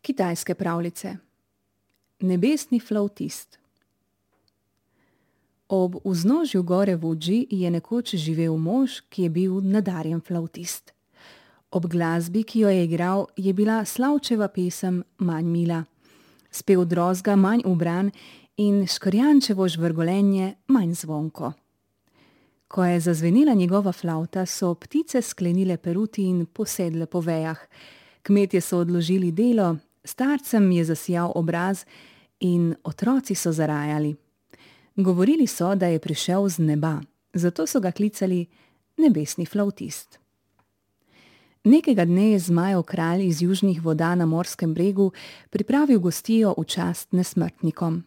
Kitajske pravljice. Nebesni flavtist. Ob vznožju gore Fuji je nekoč živel mož, ki je bil nadarjen flavtist. Ob glasbi, ki jo je igral, je bila slavčeva pesem manj mila, spev drozga manj ubran in škrjančevo žvrgolenje manj zvonko. Ko je zazvenela njegova flavta, so ptice sklenile peruti in posedle po vejah. Kmetje so odložili delo, starcem je zasijal obraz in otroci so zarajali. Govorili so, da je prišel z neba, zato so ga klicali nebesni flavtist. Nekega dne je Zmajev kralj iz južnih voda na Morskem bregu pripravil gostijo v čast nesmrtnikom.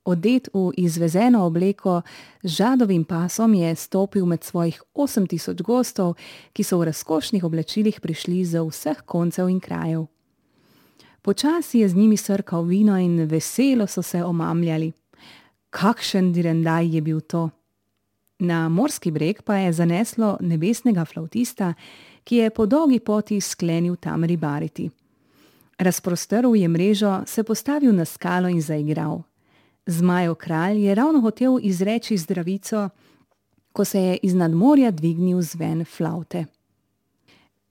Odet v izvezeno obleko z žadovim pasom je stopil med svojih 8000 gostov, ki so v razkošnih oblačilih prišli z vseh koncev in krajev. Počasi je z njimi srkal vino in veselo so se omamljali. Kakšen direndaj je bil to! Na Morski breg pa je zaneslo nebesnega flavtista, ki je po dolgi poti sklenil tam ribariti. Razprostrl je mrežo, se postavil na skalo in zaigral. Zmajev kralj je ravno hotel izreči zdravico, ko se je iznad morja dvignil zven flavte.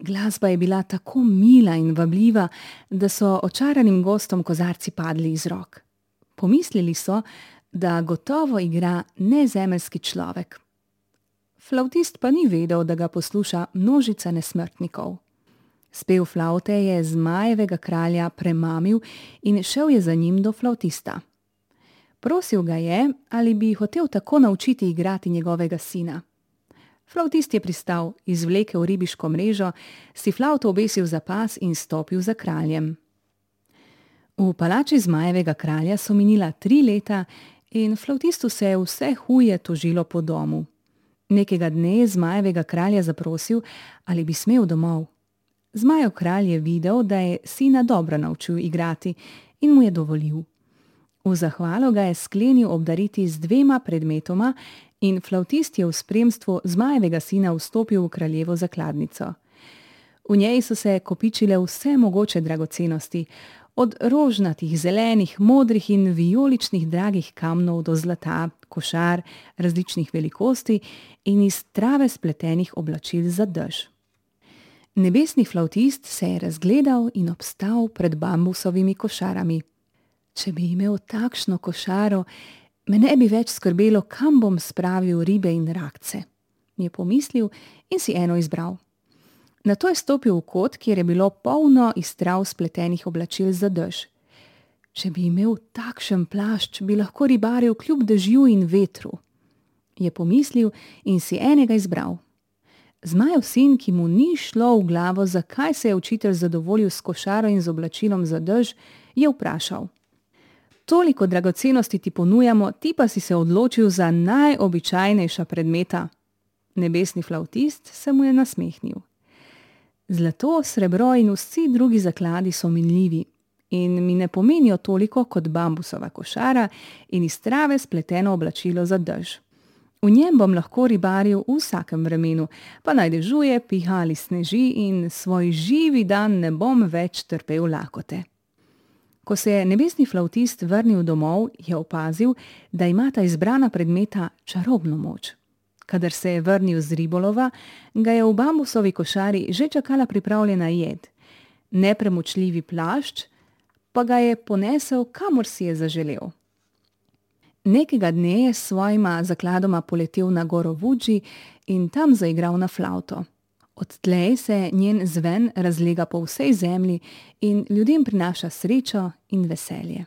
Glasba je bila tako mila in vabljiva, da so očaranim gostom kozarci padli iz rok. Pomislili so, da gotovo igra nezemeljski človek. Flavtist pa ni vedel, da ga posluša množica nesmrtnikov. Spev flavte je Zmajevega kralja premamil in šel je za njim do flavtista. Prosil ga je, ali bi hotel tako naučiti igrati njegovega sina. Flavtist je pristal, izvlekel ribiško mrežo, si flavto obesil za pas in stopil za kraljem. V palači Zmajevega kralja so minila 3 leta in flavtistu se je vse huje tožilo po domu. Nekega dne je Zmajevega kralja zaprosil, ali bi smel domov. Zmajev kralj je videl, da je sina dobro naučil igrati in mu je dovolil. V zahvalo ga je sklenil obdariti z 2 predmetoma in flavtist je v spremstvu Zmajevega sina vstopil v kraljevo zakladnico. V njej so se kopičile vse mogoče dragocenosti, od rožnatih, zelenih, modrih in vijoličnih dragih kamnov do zlata, košar različnih velikosti in iz trave spletenih oblačil za dež. Nebesni flavtist se je razgledal in obstal pred bambusovimi košarami. Če bi imel takšno košaro, me ne bi več skrbelo, kam bom spravil ribe in rakce, je pomislil in si eno izbral. Nato je stopil v kot, kjer je bilo polno iz trav spletenih oblačil za dež. Če bi imel takšen plašč, bi lahko ribaril kljub dežju in vetru, je pomislil in si enega izbral. Zmajev sin, ki mu ni šlo v glavo, zakaj se je učitelj zadovoljil s košaro in z oblačilom za dež, je vprašal. Toliko dragocenosti ti ponujamo, ti pa si se odločil za najobičajnejša predmeta. Nebesni flavtist se mu je nasmehnil. Zlato, srebro in vsi drugi zakladi so minljivi in mi ne pomenijo toliko kot bambusova košara in iz trave spleteno oblačilo za dež. V njem bom lahko ribaril v vsakem vremenu, pa naj dežuje, piha ali sneži in svoj živi dan ne bom več trpel lakote. Ko se je nebesni flavtist vrnil domov, je opazil, da ima ta izbrana predmeta čarobno moč. Kadar se je vrnil z ribolova, ga je v bambusovi košari že čakala pripravljena jed. Nepremočljivi plašč pa ga je ponesel, kamor si je zaželel. Nekega dne je s svojima zakladoma poletel na goro Fuji in tam zaigral na flavto. Odtlej se njen zven razlega po vsej zemlji in ljudem prinaša srečo in veselje.